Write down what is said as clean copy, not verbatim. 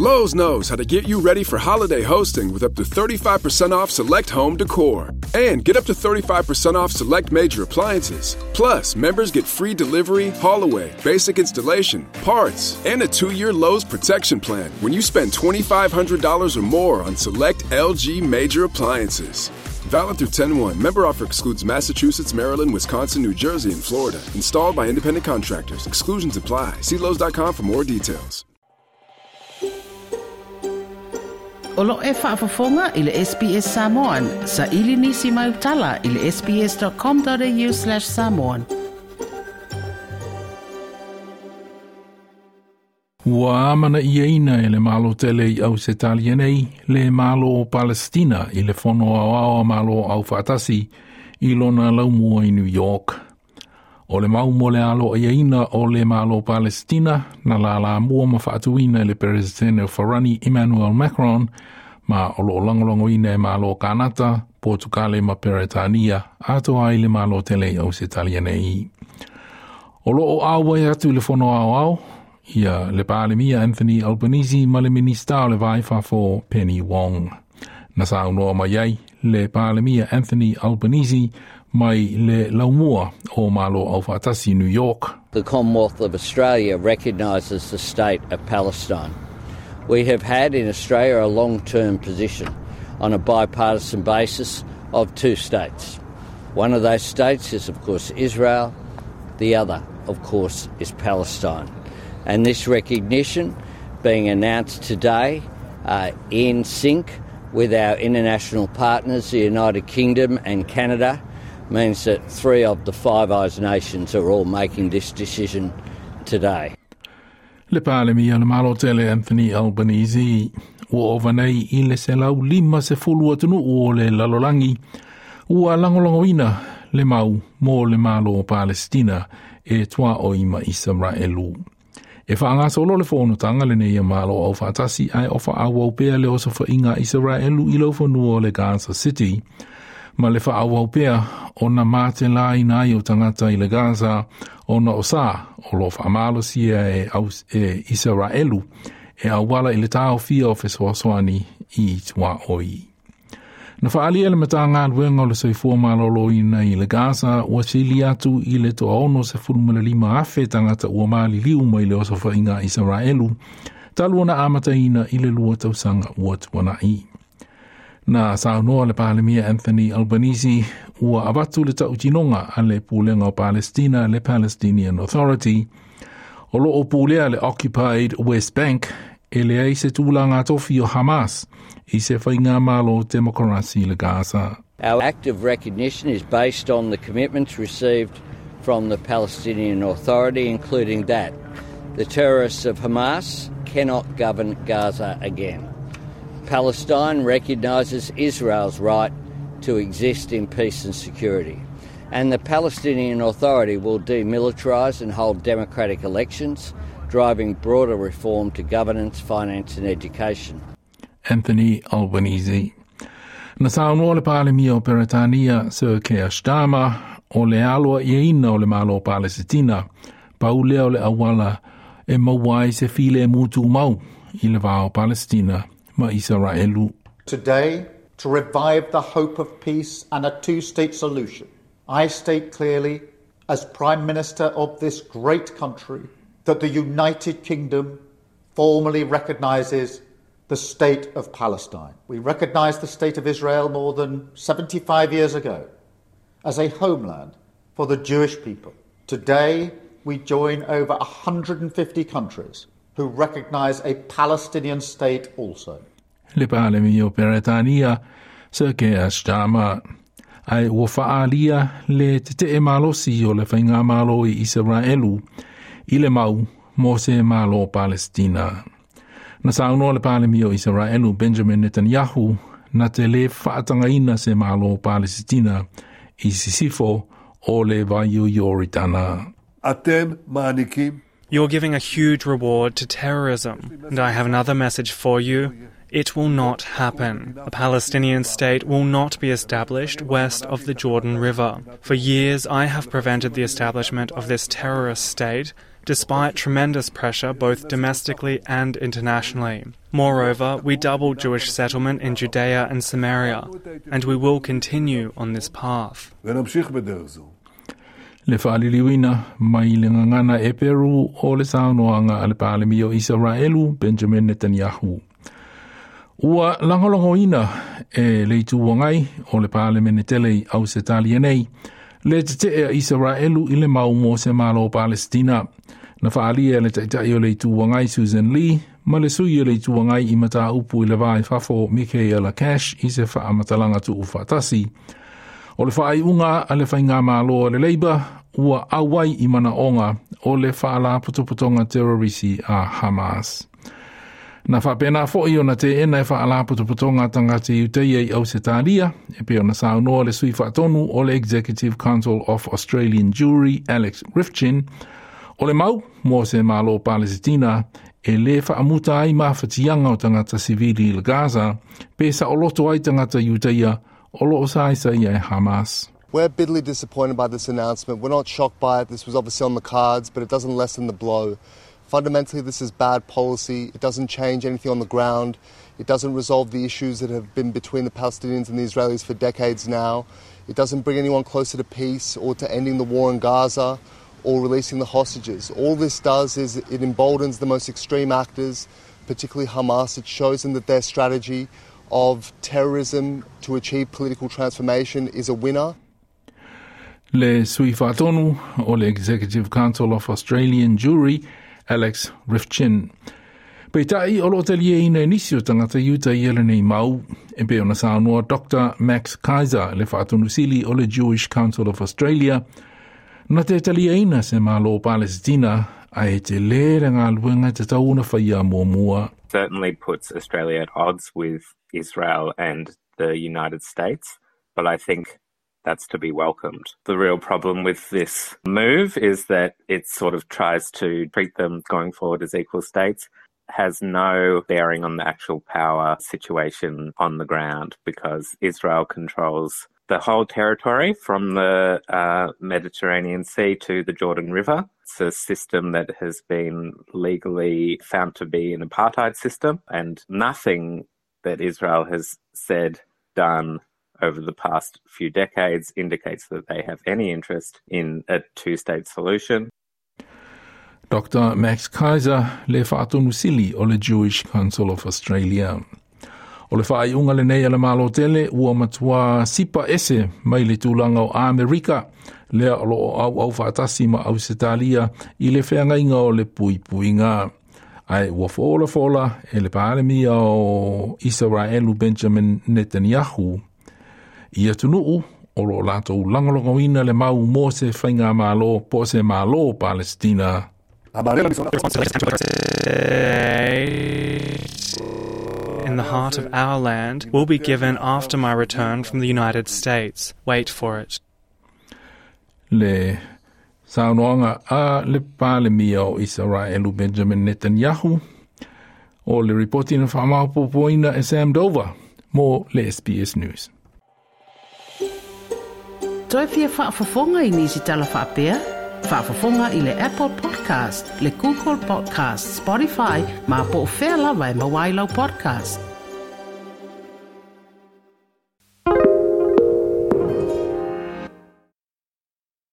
Lowe's knows how to get you ready for holiday hosting with up to 35% off select home decor. And get up to 35% off select major appliances. Plus, members get free delivery, haul away, basic installation, parts, and a 2-year Lowe's protection plan when you spend $2,500 or more on select LG major appliances. Valid through 10/1. Member offer excludes Massachusetts, Maryland, Wisconsin, New Jersey, and Florida. Installed by independent contractors. Exclusions apply. See Lowe's.com for more details. O lo e whaafafonga i le SBS Samoan. Sa ili nisi mai utala i le sbs.com.au/samoan. Ua amana ia ina e le malo tele i au se nei le malo o Palestina i le fono au ao a malo au whaatasi i lona laumua i New York. O le mau mo le alo ia ina o le malo Palestina na la la mua ma whaatuina i le Presidente o Farani Emmanuel Macron ma o lo langolongo ina e malo Kanata, Portugale ma Peretania atoa i le malo tele i au se nei. O lo o au ai atu i le fono au au, ia le Palemia Anthony Albanese ma le Minista o le Vai Fafo Penny Wong. Na sa unoa mai ai le Palemia Anthony Albanese mai le laumua o malo au whaatasi New York. The Commonwealth of Australia recognises the state of Palestine. We have had in Australia a long-term position on a bipartisan basis of two states. One of those states is, of course, Israel. The other, of course, is Palestine. And this recognition being announced today in sync with our international partners, the United Kingdom and Canada, means that 3 of the Five Eyes nations are all making this decision today. Le Palemia le malo tele Anthony Albanese ua ova nei i le 150 atunu o le lalolangi ua langolongoina le mau mo le malo o Palestina e tua o ima Israelu. E whaangasolo le whonotanga le nei malo au whaatasi ai o whaawau pea le osofa inga Israelu i laufanua o le Gaza City. Ma le whaawau pea o na mate la ina i o tangata i le Gaza o na o sa o lo whaamalo sia e, e Israelu e awala i le tau fia o fesoasoani i tua oi. Na whaalia le matanga luenga o le soifua malolo ina i le Gaza ua sili atu i le toa ono se fulumala afe tangata ua mali liu mai le osofa inga Israelu talu na amata ina i le lua tausanga ua tuanai. Na saunoa le Palemia Anthony Albanese ua avatu le tautinonga a le pulenga o Palestina le Palestinian Authority o lo o pulea le Occupied West Bank e le ai se tūlanga tofi o Hamas i se whainga malo demokrasi le Gaza. Our act of recognition is based on the commitments received from the Palestinian Authority, including that the terrorists of Hamas cannot govern Gaza again. Palestine recognises Israel's right to exist in peace and security. And the Palestinian Authority will demilitarise and hold democratic elections, driving broader reform to governance, finance and education. Anthony Albanese. Na saunoa le Palemia o Peretania Sir Keir Starmer o le aloa ia ina o le malo Palesitina, paulea o le awala e mauai se file e mutu mau i le vao Palestina ma Israelu. Today, to revive the hope of peace and a two-state solution, I state clearly, as Prime Minister of this great country, that the United Kingdom formally recognises the state of Palestine. We recognised the state of Israel more than 75 years ago as a homeland for the Jewish people. Today, we join over 150 countries who recognise a Palestinian state also. Le Palemia o Peretania, Sir Keir Starmer. Ai ua whaalia le te te e malosi o le whainga malo i Israelu i le mau mo se malo Palestina. Na saunoa le Palemia o Israelu Benjamin Netanyahu na te le whaatangaina se malo Palestina i sisifo o le vai o Yoritana. Atem ma'anikim. You're giving a huge reward to terrorism. And I have another message for you. It will not happen. A Palestinian state will not be established west of the Jordan River. For years, I have prevented the establishment of this terrorist state, despite tremendous pressure both domestically and internationally. Moreover, we doubled Jewish settlement in Judea and Samaria, and we will continue on this path. Le faaliliuina mai le gagana Eperu o le saunoaga a le Palemia o Isaraelu Benjamin Netanyahu. Ua lagolagoina e le Itu Agai o le Palemene tele i Ausetalia nei, le tetee a Isaraelu i le mau mo se Malo o Palesitina. Na faaalia e le Taitai o le Itu Agai Sussan Ley ma le sui o le Itu Agai i mataupu i le va i fafo Michaelia Cash i se faamatalaga tuufaatasi. O le faaiuga a le Faigamalo a le Labour ua auai i manaoga o le Faalapotopotoga Terorisi a Hamas. Na faapena foi ona teena e Faalapotopotoga tagata Iutaia i Ausetalia, e pei ona saunoa le sui faatonu o le Executive Council of Australian Jewry Alex Ryvchin, o le mau mo se Malo Palesitina e lē faamuta ai mafatiaga o tagata sivili i le Gaza, pe saoloto ai tagata Iutaia o loo saisaia e Hamas. We're bitterly disappointed by this announcement. We're not shocked by it. This was obviously on the cards, but it doesn't lessen the blow. Fundamentally, this is bad policy. It doesn't change anything on the ground. It doesn't resolve the issues that have been between the Palestinians and the Israelis for decades now. It doesn't bring anyone closer to peace or to ending the war in Gaza or releasing the hostages. All this does is it emboldens the most extreme actors, particularly Hamas. It shows them that their strategy of terrorism to achieve political transformation is a winner. Le sui faatonu o le Executive Council of Australian Jewry, Alex Ryvchin. Peitai o loo taliaina e nisi o tagata Iutaia lenei mau, e pei ona saunoa Dr. Max Kaiser, le faatonusili o le Jewish Council of Australia, na te taliaina se Malo Palesitina, ae tele le galuega e tatau ona faia muamua. Certainly puts Australia at odds with Israel and the United States, but I think that's to be welcomed. The real problem with this move is that it sort of tries to treat them going forward as equal states, has no bearing on the actual power situation on the ground because Israel controls the whole territory from the Mediterranean Sea to the Jordan River. It's a system that has been legally found to be an apartheid system, and nothing that Israel has said, done over the past few decades indicates that they have any interest in a two-state solution. Dr. Max Kaiser, le faatonusili o le Jewish Council of Australia. O le faaiuga lenei a le Malo tele ua matuā sipa ese mai le tulaga o Amerika, lea o loo auau faatasi ma Ausetalia i le feagaiga o le puipuiga. Ae ua folafola e le Palemia o Isaraelu Benjamin Netanyahu i atunuu o loo latou lagolagoina le mau mo se faigamalo po o se Malo Palestina. In the heart of our land will be given after my return from the United States. Wait for it. Le saunoaga a le Palemia o Isaraelu Benjamin Netanyahu o le ripoti na faamaopoopoina e Sam Dover mo le SBS News. Toe fia faafofoga i nisi tala faapea? Faafofoga i le Apple Podcast, le Google Podcast, Spotify, ma po o fea lava e maua ai lau podcast.